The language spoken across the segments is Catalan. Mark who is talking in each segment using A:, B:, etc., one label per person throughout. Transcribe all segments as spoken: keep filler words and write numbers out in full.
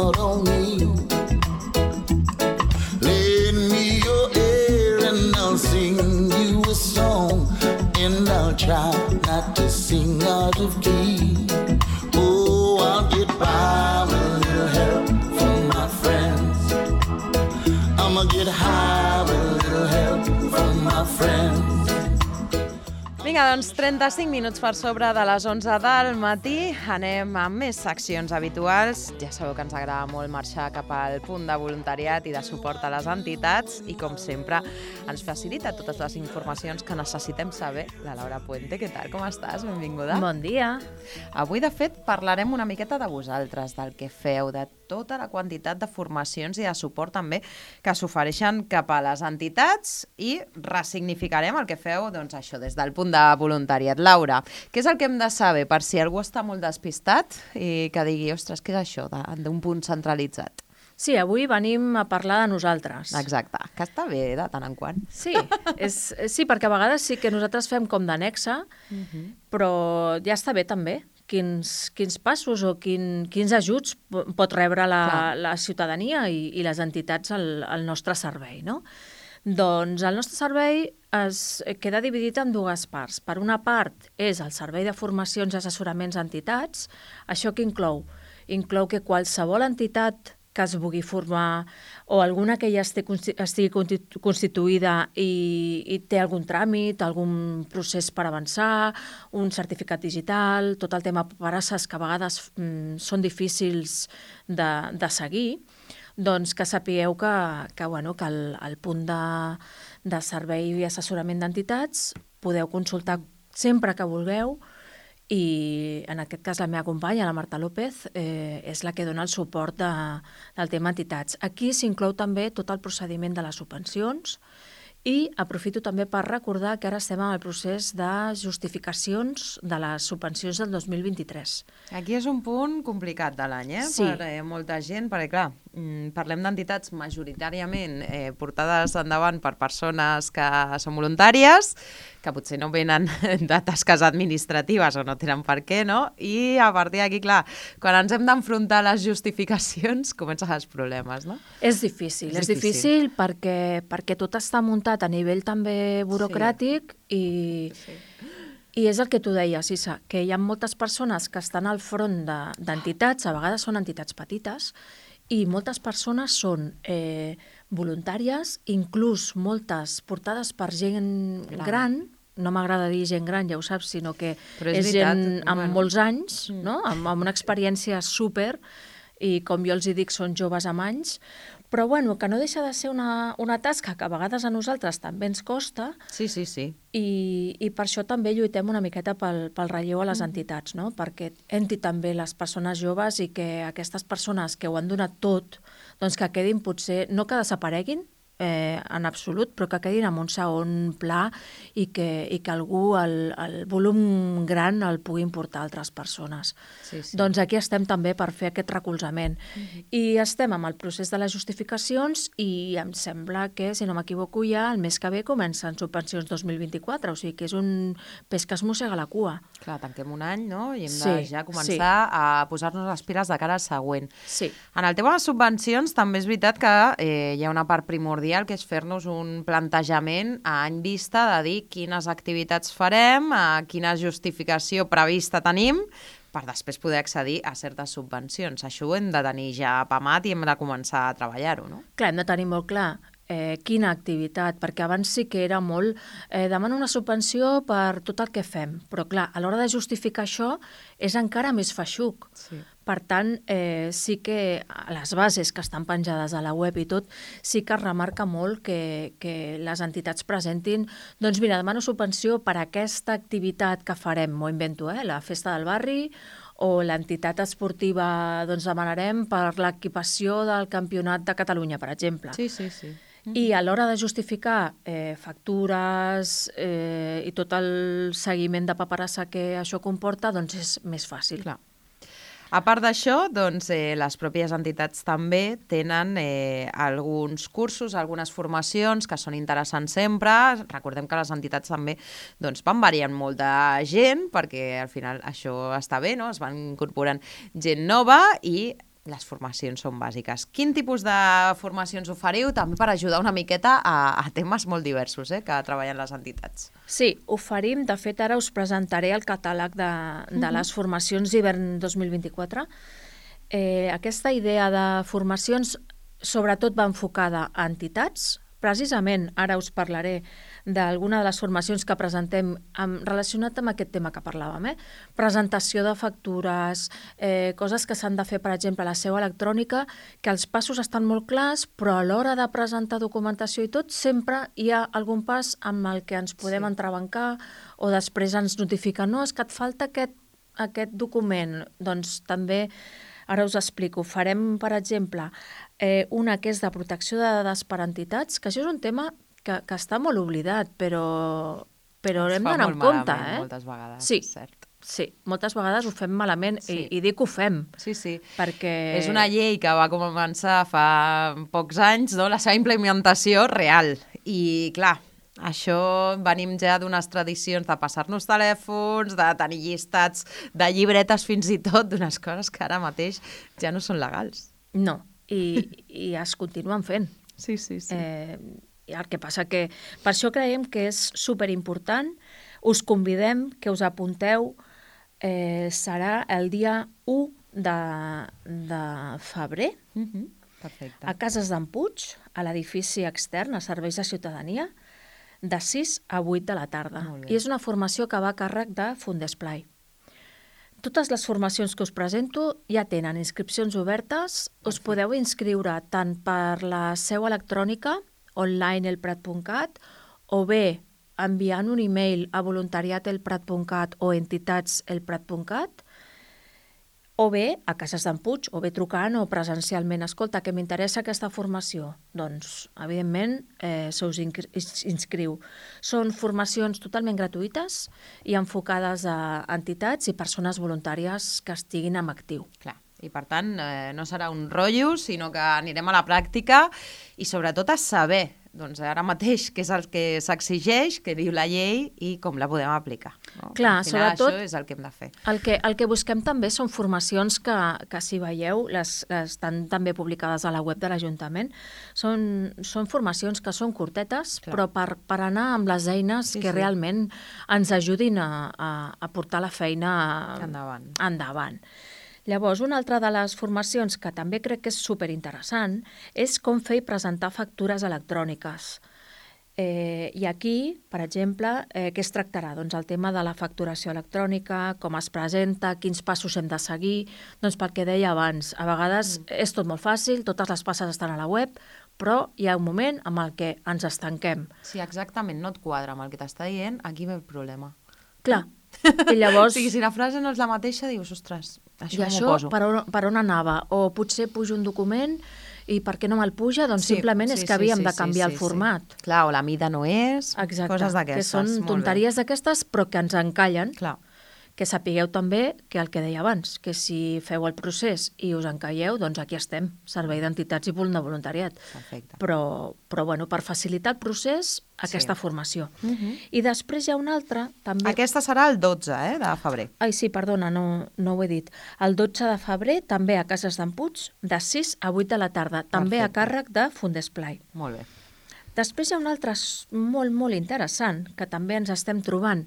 A: out on me. Lend me your ear and I'll sing you a song, and I'll try not to sing out of key. Oh, I'll get by with a little help from my friends. I'ma get high with a little help from my friends.
B: Vinga, doncs trenta-cinc minuts per sobre de les onze del matí. Anem amb més seccions habituals. Ja sabeu que ens agrada molt marxar cap al punt de voluntariat i de suport a les entitats i, com sempre, ens facilita totes les informacions que necessitem saber la Laura Puente. Què tal? Com estàs? Benvinguda.
C: Bon dia.
B: Avui, de fet, parlarem una miqueta de vosaltres, del que feu, de tota la quantitat de formacions i de suport també que s'ofereixen cap a les entitats i ressignificarem el que feu, doncs això, des del punt de voluntariat. Laura, què és el que hem de saber per si algú està molt despistat i que digui, ostres, què és això d'un punt centralitzat?
C: Sí, avui venim a parlar de nosaltres.
B: Exacte, que està bé de tant en quant.
C: Sí, és, sí, perquè a vegades sí que nosaltres fem com d'annexa, uh-huh. però ja està bé també quins, quins passos o quin, quins ajuts pot rebre la, la ciutadania i, i les entitats al, al nostre servei, no? Doncs el nostre servei es queda dividit en dues parts. Per una part és el servei de formacions i assessoraments a entitats. Això què inclou? Inclou que qualsevol entitat que es vulgui formar o alguna que ja estigui constituïda i, i té algun tràmit, algun procés per avançar, un certificat digital, tot el tema paperasses que a vegades mm, són difícils de, de seguir, doncs que sapigueu que, que, bueno, que el, el punt de, de servei i assessorament d'entitats podeu consultar sempre que vulgueu i en aquest cas la meva companya, la Marta López, eh, és la que dona el suport de, del tema entitats. Aquí s'inclou també tot el procediment de les subvencions i aprofito també per recordar que ara estem en el procés de justificacions de les subvencions del dos mil vint-i-tres.
B: Aquí és un punt complicat de l'any, eh?
C: Sí.
B: Per eh, molta gent, perquè clar, parlem d'entitats majoritàriament eh, portades endavant per persones que són voluntàries, que potser no venen de tasques administratives o no tenen per què, no? I a partir d'aquí, clar, quan ens hem d'enfrontar a les justificacions, comencen els problemes, no?
C: És difícil, és,
B: és
C: difícil,
B: difícil
C: perquè, perquè tot està muntat a nivell també burocràtic sí. i... Sí. I és el que tu deies, Issa, que hi ha moltes persones que estan al front d'entitats, a vegades són entitats petites, i moltes persones són eh, voluntàries, inclús moltes portades per gent gran, gran no m'agrada dir gent gran, ja ho saps, sinó que és, és gent amb bueno. molts anys, no? amb, amb una experiència súper, i com jo els hi dic, són joves amb anys, però bueno, que no deixa de ser una, una tasca que a vegades a nosaltres també ens costa.
B: Sí, sí, sí.
C: I, i per això també lluitem una miqueta pel, pel relleu a les mm. entitats, no? Perquè entri també les persones joves i que aquestes persones que ho han donat tot, doncs que quedin potser, no que desapareguin, Eh, en absolut, però que quedin en un segon pla i que, i que algú el, el volum gran el puguin portar a altres persones.
B: Sí, sí.
C: Doncs aquí estem també per fer aquest recolzament. Mm-hmm. I estem amb el procés de les justificacions i em sembla que, si no m'equivoco, ja el mes que ve comencen subvencions dos mil vint-i-quatre, o sigui que és un pes que es mossega la cua.
B: Clar, tanquem un any, no? I hem
C: sí,
B: de ja començar
C: sí.
B: a posar-nos les piles de cara al següent.
C: Sí.
B: En el tema de les subvencions també és veritat que eh, hi ha una part primordial que és fer-nos un plantejament a any vista de dir quines activitats farem, a quina justificació prevista tenim, per després poder accedir a certes subvencions. Això ho hem de tenir ja apamat i hem de començar a treballar-ho, no?
C: Clar, hem de tenir molt clar eh, quina activitat, perquè abans sí que era molt... Eh, demano una subvenció per tot el que fem, però clar, a l'hora de justificar això és encara més feixuc.
B: Sí.
C: Per tant, eh, sí que les bases que estan penjades a la web i tot, sí que es remarca molt que, que les entitats presentin, doncs mira, demano subvenció per a aquesta activitat que farem, m'ho invento, eh, la festa del barri, o l'entitat esportiva, doncs demanarem per l'equipació del Campionat de Catalunya, per exemple.
B: Sí, sí, sí.
C: I a l'hora de justificar eh, factures eh, i tot el seguiment de paperassa que això comporta, doncs és més fàcil.
B: Clar. A part d'això, doncs, eh, les pròpies entitats també tenen eh, alguns cursos, algunes formacions que són interessants sempre. Recordem que les entitats també doncs, van variant molt de gent, perquè al final això està bé, no? Es van incorporant gent nova i les formacions són bàsiques. Quin tipus de formacions oferiu també per ajudar una miqueta a, a temes molt diversos eh, que treballen les entitats?
C: Sí, oferim. De fet, ara us presentaré el catàleg de, de uh-huh. les formacions d'hivern dos mil vint-i-quatre. Eh, aquesta idea de formacions sobretot va enfocada a entitats. Precisament ara us parlaré d'alguna de les formacions que presentem amb, relacionat amb aquest tema que parlàvem. Eh? Presentació de factures, eh, coses que s'han de fer, per exemple, a la seu electrònica, que els passos estan molt clars, però a l'hora de presentar documentació i tot, sempre hi ha algun pas amb el que ens podem sí. entrebancar o després ens notifiquen, no, és que et falta aquest, aquest document. Doncs també, ara us explico, farem, per exemple, eh, una que és de protecció de dades per entitats, que això és un tema Que, que està molt oblidat, però, però hem d'anar en compte. Eh?
B: Moltes vegades,
C: sí,
B: cert.
C: Sí, moltes vegades ho fem malament sí. i, i dic que ho fem.
B: Sí, sí.
C: Perquè...
B: És una llei que va començar fa pocs anys, no? La seva implementació real. I, clar, això venim ja d'unes tradicions de passar-nos telèfons, de tenir llistats de llibretes fins i tot, d'unes coses que ara mateix ja no són legals.
C: No, i, i es continuen fent.
B: Sí, sí, sí.
C: Eh, El que passa que per això creiem que és superimportant. Us convidem que us apunteu. Eh, serà el dia u de, de febrer
B: uh-huh. Perfecte.
C: A Cases d'en Puig, a l'edifici extern, a Serveis de Ciutadania, de sis a vuit de la tarda. I és una formació que va a càrrec de Fundesplai. Totes les formacions que us presento ja tenen inscripcions obertes. Us podeu inscriure tant per la seu electrònica online elprat punt cat o bé enviant un e-mail a voluntariat elprat punt cat o entitats elprat punt cat o bé a Cases d'en Puig o bé trucant o presencialment. Escolta, que m'interessa aquesta formació. Doncs, evidentment, eh, se us inscriu. Són formacions totalment gratuïtes i enfocades a entitats i persones voluntàries que estiguin en actiu.
B: Clar. I, per tant, eh, no serà un rotllo, sinó que anirem a la pràctica i, sobretot, a saber doncs, ara mateix què és el que s'exigeix, què diu la llei i com la podem aplicar. No?
C: Clar,
B: al final,
C: sobretot,
B: això és el que hem de fer.
C: El que, el que busquem també són formacions que, que si veieu, les, les estan també publicades a la web de l'Ajuntament. Són, són formacions que són curtetes, Clar. però per, per anar amb les eines sí, que sí. realment ens ajudin a, a, a portar la feina
B: endavant.
C: endavant. Llavors, una altra de les formacions que també crec que és superinteressant és com fer i presentar factures electròniques. Eh, I aquí, per exemple, eh, què es tractarà? Doncs el tema de la facturació electrònica, com es presenta, quins passos hem de seguir. Doncs pel que deia abans, a vegades mm. és tot molt fàcil, totes les passes estan a la web, però hi ha un moment amb el que ens estanquem.
B: Si exactament no et quadra amb el que t'està dient, aquí ve el problema.
C: Clar. I llavors...
B: O sigui, si la frase no és la mateixa, dius, ostres, això
C: I això
B: m'ho poso.
C: Per on, per on anava? O potser pujo un document i per què no me'l puja? Doncs sí, simplement sí, és que havíem sí, sí, de canviar sí, sí, el format.
B: Sí. Clar, o la mida no és,
C: Exacte,
B: coses d'aquestes.
C: Que són tonteries d'aquestes, però que ens encallen.
B: Clar.
C: Que sapigueu també que el que deia abans, que si feu el procés i us encalleu, doncs aquí estem, Servei d'Entitats i de Voluntariat.
B: Perfecte.
C: Però, però bueno, per facilitar el procés, aquesta sí. formació. Uh-huh. I després hi ha una altra, també...
B: Aquesta serà el dotze eh, de febrer.
C: Ai, sí, perdona, no, no ho he dit. El dotze de febrer, també a Cases d'en Puig, de sis a vuit de la tarda, també Perfecte. a càrrec de Fundesplai.
B: Molt bé.
C: Després hi ha un altre molt, molt interessant, que també ens estem trobant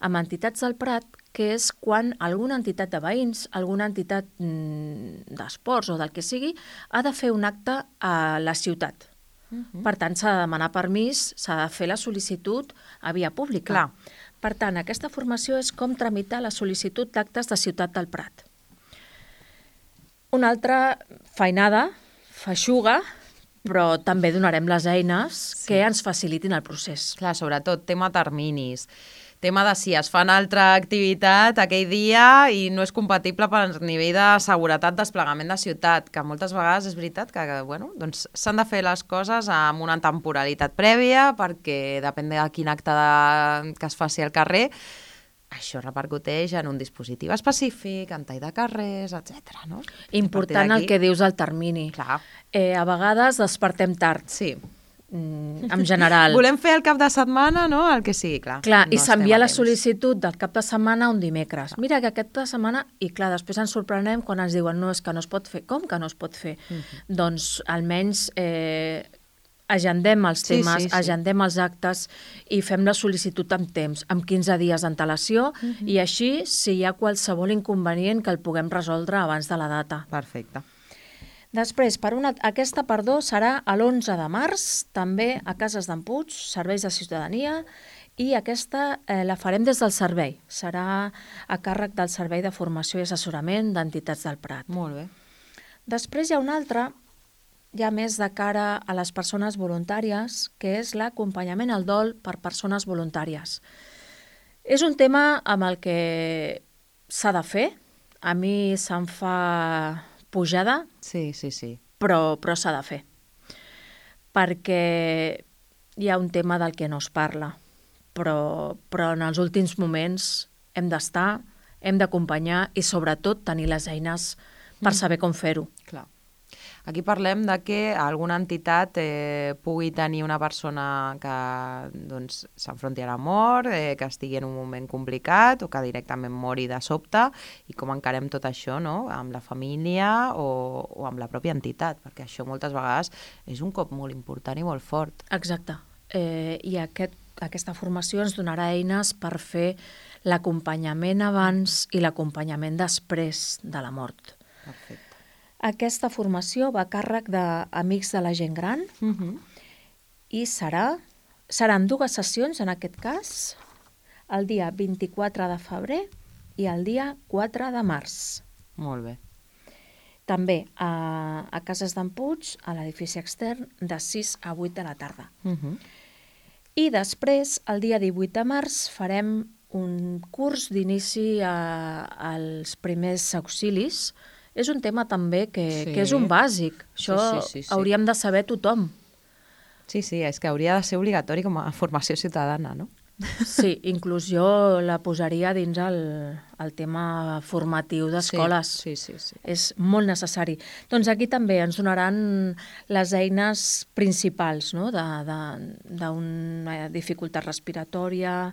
C: amb entitats del Prat, que és quan alguna entitat de veïns, alguna entitat mm, d'esports o del que sigui, ha de fer un acte a la ciutat. Uh-huh. Per tant, s'ha de demanar permís, s'ha de fer la sol·licitud a via pública.
B: Clar.
C: Per tant, aquesta formació és com tramitar la sol·licitud d'actes de Ciutat del Prat. Una altra feinada, feixuga, però també donarem les eines sí. que ens facilitin el procés.
B: Clar, sobretot tema terminis. Tema de si es fa una altra activitat aquell dia i no és compatible per nivell de seguretat, desplegament de ciutat, que moltes vegades és veritat que bueno, doncs s'han de fer les coses amb una temporalitat prèvia perquè depèn de quin acte de, que es faci al carrer, això repercuteix en un dispositiu específic, en tall de carrers, etcètera. No?
C: Important el que dius al termini.
B: Clar.
C: Eh, a vegades despertem tard.
B: Sí.
C: en general.
B: Volem fer el cap de setmana, no? El que sigui, clar.
C: Clar,
B: no
C: i s'envia la
B: temps.
C: sol·licitud del cap de setmana un dimecres. Mira que aquest de setmana... I clar, després ens sorprenem quan ens diuen no, és que no es pot fer. Com que no es pot fer? Uh -huh. Doncs almenys eh, agendem els temes, sí, sí, sí. agendem els actes i fem la sol·licitud amb temps, amb quinze dies d'antelació, uh -huh. i així, si hi ha qualsevol inconvenient, que el puguem resoldre abans de la data.
B: Perfecte.
C: Després, per una, aquesta, perdó, serà l'onze de març, també a Cases d'en Puig, Serveis de Ciutadania, i aquesta eh, la farem des del servei. Serà a càrrec del Servei de Formació i Assessorament d'Entitats del Prat.
B: Molt bé.
C: Després hi ha una altra, ja més de cara a les persones voluntàries, que és l'acompanyament al dol per persones voluntàries. És un tema amb el que s'ha de fer. A mi se'm fa pujada,
B: sí, sí, sí.
C: però, però s'ha de fer. Perquè hi ha un tema del que no es parla, però, però en els últims moments hem d'estar, hem d'acompanyar i sobretot tenir les eines per saber com fer-ho.
B: Clar. Aquí parlem de que alguna entitat eh, pugui tenir una persona que doncs, s'enfronti a la mort, eh, que estigui en un moment complicat o que directament mori de sobte, i com encarem tot això, no? Amb la família o, o amb la pròpia entitat, perquè això moltes vegades és un cop molt important i molt fort.
C: Exacte. Eh, I aquest, aquesta formació ens donarà eines per fer l'acompanyament abans i l'acompanyament després de la mort.
B: Perfecte.
C: Aquesta formació va a càrrec d'Amics de la Gent Gran,
B: uh-huh.
C: i serà, seran dues sessions, en aquest cas, el dia vint-i-quatre de febrer i el dia quatre de març.
B: Molt bé.
C: També a, a Cases d'en Puig, a l'edifici extern, de sis a vuit de la tarda.
B: Uh-huh.
C: I després, el dia divuit de març, farem un curs d'inici a, als primers auxilis. És un tema també que, sí. que és un bàsic. Això sí, sí, sí, sí. hauríem de saber tothom.
B: Sí, sí, és que hauria de ser obligatori com a formació ciutadana, no?
C: Sí, inclús jo la posaria dins el, el tema formatiu d'escoles.
B: Sí, sí, sí, sí.
C: És molt necessari. Doncs aquí també ens donaran les eines principals, no? D'una dificultat respiratòria,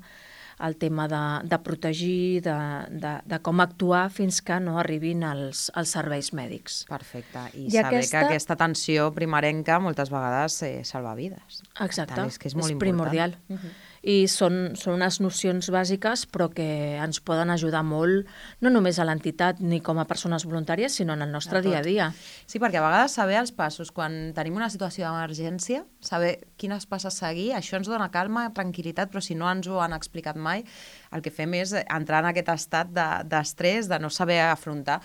C: el tema de, de protegir, de, de, de com actuar fins que no arribin els, els serveis mèdics.
B: Perfecte. I,
C: I
B: saber
C: aquesta...
B: que aquesta atenció primerenca moltes vegades eh, salva vides.
C: Exacte,
B: tant, és que és, molt
C: és
B: important.
C: primordial. Uh-huh. I són, són unes nocions bàsiques, però que ens poden ajudar molt, no només a l'entitat ni com a persones voluntàries, sinó en el nostre dia a dia.
B: Sí, perquè a vegades saber els passos, quan tenim una situació d'emergència, saber quines passes seguir, això ens dona calma, tranquil·litat, però si no ens ho han explicat mai, el que fem és entrar en aquest estat d'estrès, de, de no saber afrontar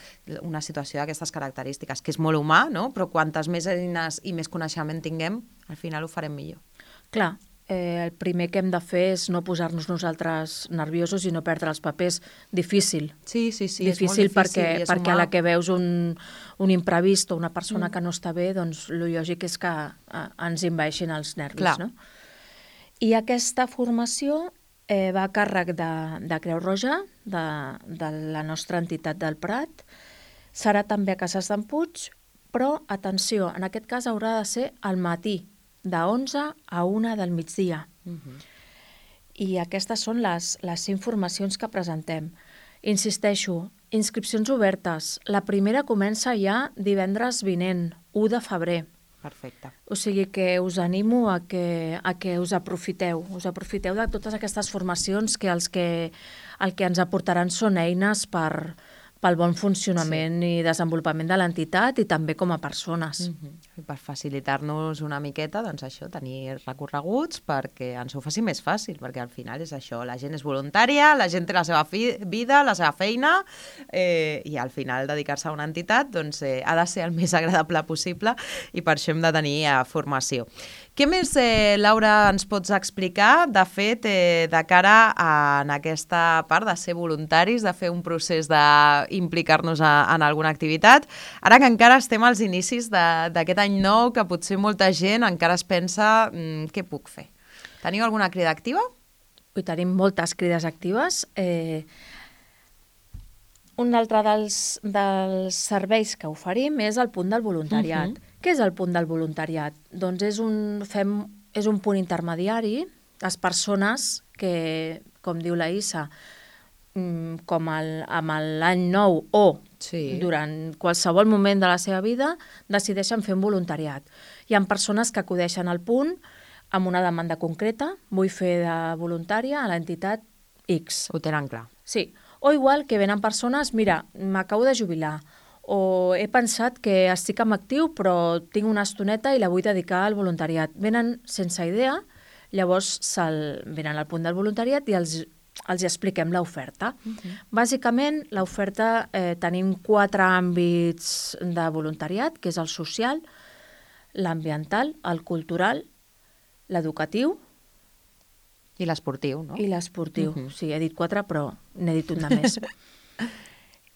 B: una situació d'aquestes característiques, que és molt humà, no? Però quantes més eines i més coneixement tinguem, al final ho farem millor.
C: Clar. Eh, el primer que hem de fer és no posar-nos nosaltres nerviosos i no perdre els papers. Difícil.
B: Sí, sí, sí,
C: difícil,
B: és molt difícil
C: perquè,
B: és
C: perquè
B: humà.
C: a la que veus un, un imprevist o una persona
B: mm.
C: que no està bé, doncs el lògic és que eh, ens envaeixin els nervis.
B: Clar.
C: No? I aquesta formació eh, va a càrrec de, de Creu Roja, de, de la nostra entitat del Prat. Serà també a Cases d'en Puig, però, atenció, en aquest cas haurà de ser al matí, de onze a una del migdia.
B: Uh-huh.
C: I aquestes són les, les informacions que presentem. Insisteixo, inscripcions obertes. La primera comença ja divendres vinent, u de febrer.
B: Perfecte.
C: O sigui que us animo a que, a que us aprofiteu. Us aprofiteu de totes aquestes formacions que, els que el que ens aportaran són eines per... pel bon funcionament sí. i desenvolupament de l'entitat i també com a persones.
B: Mm-hmm. Per facilitar-nos una miqueta, doncs això, tenir recorreguts perquè ens ho faci més fàcil, perquè al final és això, la gent és voluntària, la gent té la seva fi- vida, la seva feina, eh, i al final dedicar-se a una entitat doncs, eh, ha de ser el més agradable possible i per això hem de tenir eh, formació. Què més, eh, Laura, ens pots explicar, de fet, eh, de cara a en aquesta part de ser voluntaris, de fer un procés d'implicar-nos en alguna activitat, ara que encara estem als inicis d'aquest any nou, que potser molta gent encara es pensa mm, què puc fer? Teniu alguna crida activa?
C: I tenim moltes crides actives. Eh, un altre dels, dels serveis que oferim és el punt del voluntariat. Uh-huh. Què és el punt del voluntariat? Doncs és un, fem és un punt intermediari. Les persones que, com diu la Issa, com el, amb l'any nou o sí. durant qualsevol moment de la seva vida, decideixen fer un voluntariat. Hi ha persones que acudeixen al punt amb una demanda concreta, vull fer de voluntària a l'entitat X.
B: Ho tenen clar.
C: Sí. O igual que venen persones, mira, m'acabo de jubilar, o he pensat que estic en actiu però tinc una estoneta i la vull dedicar al voluntariat. Venen sense idea, llavors venen al punt del voluntariat i els, els expliquem l'oferta. Uh-huh. Bàsicament, l'oferta eh, tenim quatre àmbits de voluntariat, que és el social, l'ambiental, el cultural, l'educatiu,
B: i l'esportiu, no?
C: I l'esportiu. Uh-huh. Sí, he dit quatre, però n'he dit un de més.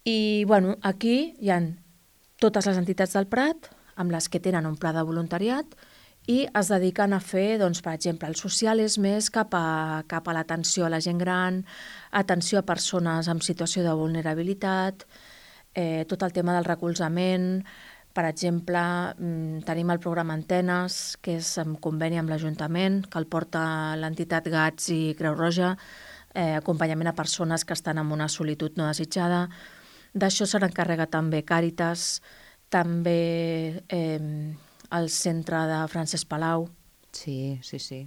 C: I, bueno, aquí hi ha totes les entitats del Prat, amb les que tenen un pla de voluntariat, i es dediquen a fer, doncs, per exemple, el social és més cap a, cap a l'atenció a la gent gran, atenció a persones en situació de vulnerabilitat, eh, tot el tema del recolzament. Per exemple, tenim el programa Antenes, que és en conveni amb l'Ajuntament, que el porta l'entitat Gats i Creu Roja, eh, acompanyament a persones que estan en una solitud no desitjada. D'això se n'encarrega també Càritas, també eh, el centre de Francesc Palau.
B: Sí, sí, sí.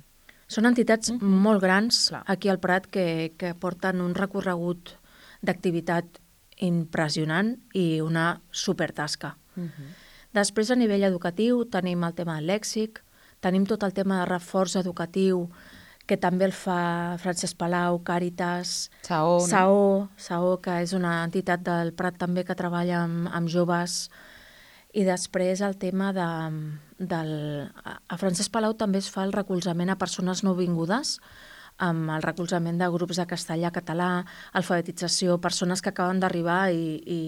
C: Són entitats mm-hmm. molt grans Clar. Aquí al Prat que, que porten un recorregut d'activitat impressionant i una supertasca. Uh-huh. Després, a nivell educatiu, tenim el tema del lèxic, tenim tot el tema de reforç educatiu, que també el fa Francesc Palau, Càritas,
B: Saó,
C: Saó, Saó, que és una entitat del Prat també que treballa amb, amb joves. I després el tema de... Del, a Francesc Palau també es fa el recolzament a persones nouvingudes, amb el recolzament de grups de castellà, català, alfabetització, persones que acaben d'arribar i... i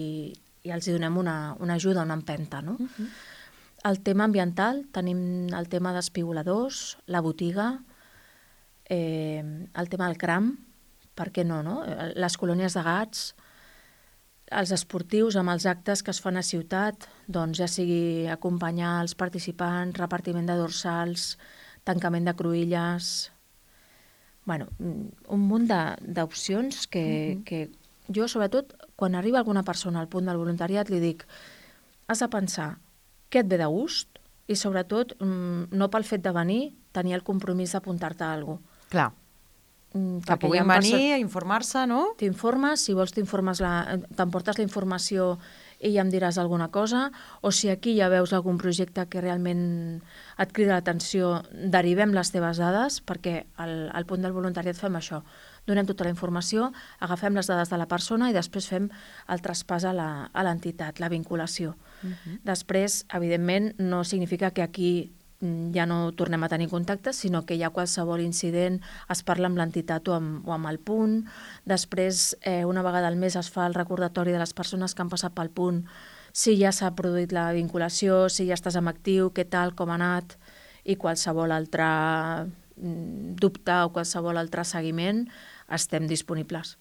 C: i els donem una, una ajuda, una empenta. No? Uh-huh. El tema ambiental, tenim el tema d'espigoladors, la botiga, eh, el tema del cram, per què no, no? Les colònies de gats, els esportius amb els actes que es fan a ciutat, doncs ja sigui acompanyar els participants, repartiment de dorsals, tancament de cruïlles... Bueno, un munt d'opcions que... Uh-huh. que jo, sobretot, quan arriba alguna persona al punt del voluntariat, li dic, has de pensar què et ve de gust i, sobretot, no pel fet de venir, tenir el compromís d'apuntar-te a alguna cosa.
B: Clar. Que puguin venir a informar-se, no?
C: T'informes, si vols t'informes, t'emportes la informació i ja em diràs alguna cosa, o si aquí ja veus algun projecte que realment et crida l'atenció, derivem les teves dades, perquè al, al punt del voluntariat fem això. Donem tota la informació, agafem les dades de la persona i després fem el traspàs a l'entitat, la vinculació. Uh-huh. Després, evidentment, no significa que aquí ja no tornem a tenir contacte, sinó que hi ha qualsevol incident, es parla amb l'entitat o, amb, o amb el punt. Després, eh, una vegada al mes es fa el recordatori de les persones que han passat pel punt, si ja s'ha produït la vinculació, si ja estàs en actiu, què tal, com ha anat, i qualsevol altre dubte o qualsevol altre seguiment, estem disponibles.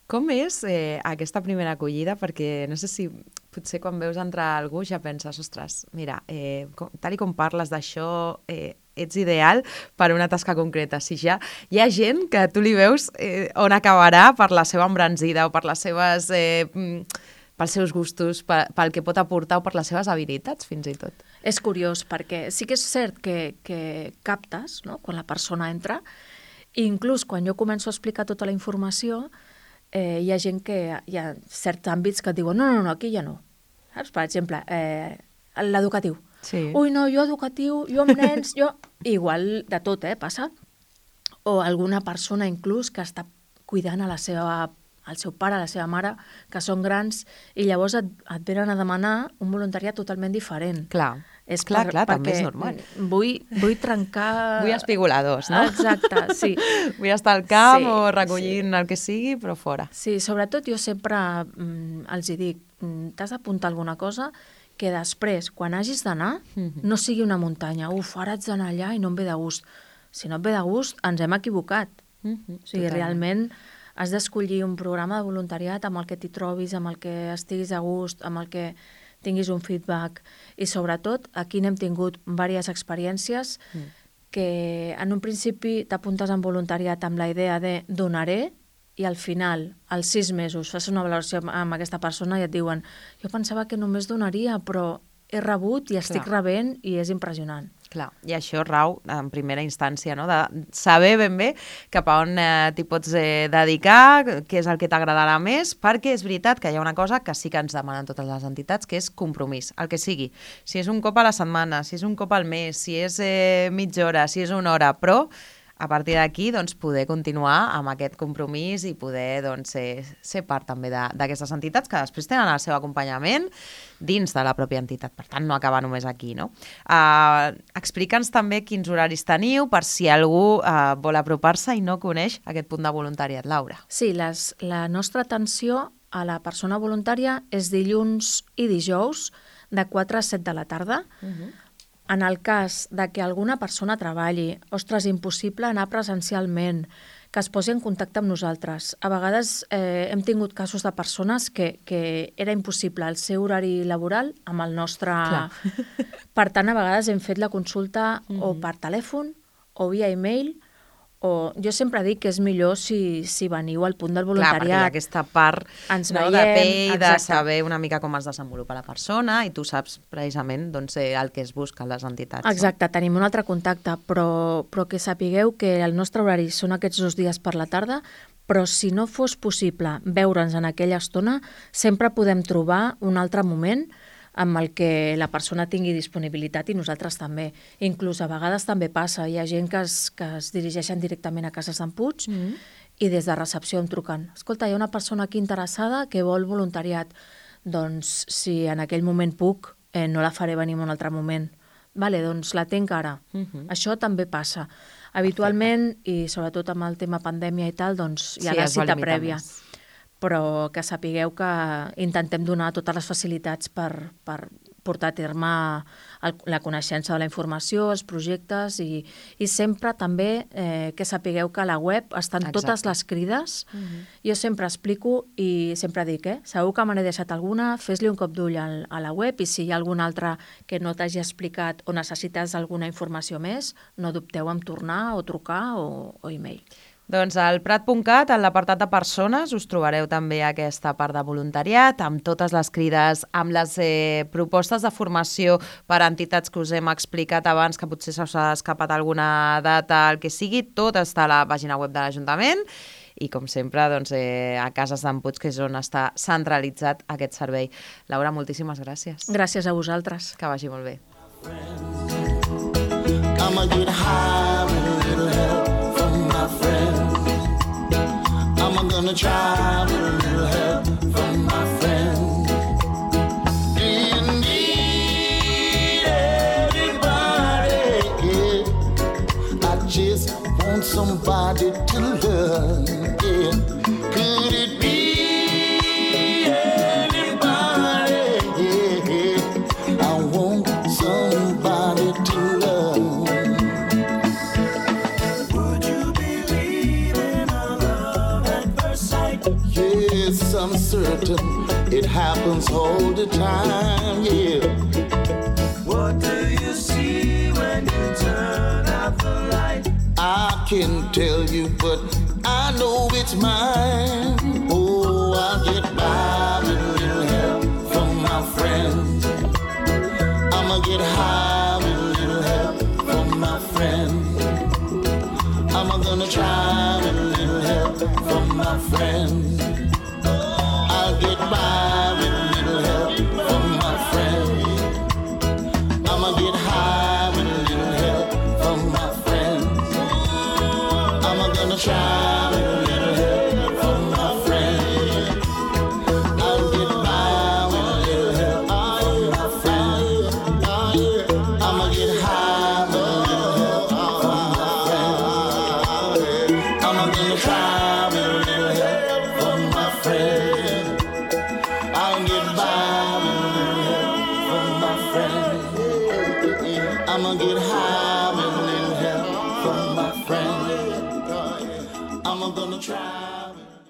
B: Com és eh, aquesta primera acollida? Perquè no sé si potser quan veus entrar algú ja penses, ostres, mira, eh, com, tal i com parles d'això, eh, ets ideal per una tasca concreta. Si ja hi ha gent que tu li veus eh, on acabarà per la seva embranzida o per les seves, eh, pels seus gustos, pel, pel que pot aportar o per les seves habilitats, fins i tot.
C: És curiós, perquè sí que és cert que, que captes, no?, quan la persona entra, i inclús quan jo començo a explicar tota la informació, Eh, hi ha gent que hi ha certs àmbits que et diuen no, no, no, aquí ja no. Saps? Per exemple, eh, l'educatiu.
B: Sí.
C: Ui, no, jo educatiu, jo amb nens, jo... Igual de tot, eh, passa. O alguna persona inclús que està cuidant a la seva, al seu pare, a la seva mare, que són grans, i llavors et, et venen a demanar un voluntariat totalment diferent.
B: Clar. És clar, per, clar, també és normal.
C: Vull, vull trencar...
B: Vull espigoladors, no?
C: Exacte, sí.
B: Vull estar al camp
C: sí,
B: o recollint sí. el que sigui, però fora.
C: Sí, sobretot jo sempre mm, els hi dic, mm, t'has d'apuntar alguna cosa que després, quan hagis d'anar, mm-hmm. no sigui una muntanya. Uf, ara haig d'anar allà i no em ve de gust. Si no et ve de gust, ens hem equivocat. Mm-hmm. O sigui, Totalment. realment has d'escollir un programa de voluntariat amb el que t'hi trobis, amb el que estiguis a gust, amb el que tinguis un feedback. I sobretot, aquí n'hem tingut diverses experiències mm. que en un principi t'apuntes en voluntariat amb la idea de donaré i al final, als sis mesos, fas una valoració amb aquesta persona i et diuen jo pensava que només donaria, però he rebut i estic
B: Clar.
C: rebent i és impressionant.
B: Clar, i això rau en primera instància, no? De saber ben bé cap a on eh, t'hi pots eh, dedicar, què és el que t'agradarà més, perquè és veritat que hi ha una cosa que sí que ens demanen totes les entitats, que és compromís, el que sigui. Si és un cop a la setmana, si és un cop al mes, si és eh, mitja hora, si és una hora, però a partir d'aquí doncs, poder continuar amb aquest compromís i poder doncs, ser, ser part també de- d'aquestes entitats que després tenen el seu acompanyament dins de la pròpia entitat. Per tant, no acaba només aquí, no? Uh, Explica'ns també quins horaris teniu per si algú uh, vol apropar-se i no coneix aquest punt de voluntariat, Laura.
C: Sí, les, la nostra atenció a la persona voluntària és dilluns i dijous de quatre a set de la tarda.
B: Uh-huh.
C: En el cas de que alguna persona treballi, ostres, impossible anar presencialment, que es posi en contacte amb nosaltres. A vegades eh, hem tingut casos de persones que, que era impossible el seu horari laboral amb el nostre...
B: Clar.
C: Per tant, a vegades hem fet la consulta
B: Mhm.
C: o per telèfon o via e-mail, o jo sempre dic que és millor si, si veniu al punt del
B: Clar, perquè hi ha
C: voluntariat.
B: aquesta part
C: Ens
B: no,
C: veiem,
B: de pell, de
C: exacte.
B: saber una mica com es desenvolupa la persona i tu saps precisament doncs, eh, el que es busca a les entitats.
C: Exacte, tenim un altre contacte, però, però que sapigueu que el nostre horari són aquests dos dies per la tarda, però si no fos possible veure'ns en aquella estona, sempre podem trobar un altre moment amb el que la persona tingui disponibilitat i nosaltres també. Inclús a vegades també passa, hi ha gent que es, que es dirigeixen directament a Cases d'en Puig
B: No? Mm.
C: i des de recepció em truquen. Escolta, hi ha una persona aquí interessada que vol voluntariat. Doncs si en aquell moment puc, eh, no la faré venir en un altre moment. Vale, doncs la tinc ara.
B: Mhm.
C: Això també passa. Habitualment, i sobretot amb el tema pandèmia i tal, doncs hi ha
B: Sí,
C: la
B: es va
C: cita
B: limitar
C: prèvia.
B: més.
C: Però que sapigueu que intentem donar totes les facilitats per, per portar a terme el, la coneixença de la informació, els projectes i, i sempre també eh, que sapigueu que a la web estan
B: Exacte.
C: totes les crides.
B: Mhm.
C: Jo sempre explico i sempre dic, eh, segur que me n'he deixat alguna, fes-li un cop d'ull al- a la web i si hi ha alguna altra que no t'hagi explicat o necessites alguna informació més, no dubteu en tornar o trucar o, o e-mail.
B: Doncs al prat punt cat, en l'apartat de persones, us trobareu també aquesta part de voluntariat, amb totes les crides, amb les eh, propostes de formació per a entitats que us hem explicat abans, que potser s'us ha escapat alguna data, el que sigui, tot està a la pàgina web de l'Ajuntament i, com sempre, doncs, eh, a Cases d'en Puig, que és on està centralitzat aquest servei. Laura, moltíssimes gràcies.
C: Gràcies a vosaltres.
B: Que vagi molt bé.
A: I'ma get high with a little help from my friends. I'm gonna try with a little help from my friends. Do you need anybody? Yeah. I just want somebody to love. Yeah. Could it be anybody? Yeah. I want somebody to love. Would you believe in a love at first sight? Yes, I'm certain it happens all the time, yeah. What do you see when you turn out the light? I can't tell you, but I know it's mine. Oh, I'll get by with a little help from my friends. I'ma get high with a little help from my friends. I'm gonna try with a little help from my friends. I'll get by with a little help from my friends. I'ma get high with a little help from my friends. I'm gonna try with a little help from my friends. I'll get by with a little help from my friends. I'ma get high with a little help from my friends. I'm gonna try with a little help from my friends. I'll get by with a little help from my friends. I'ma get high with a little help from my friends. I'm gonna try.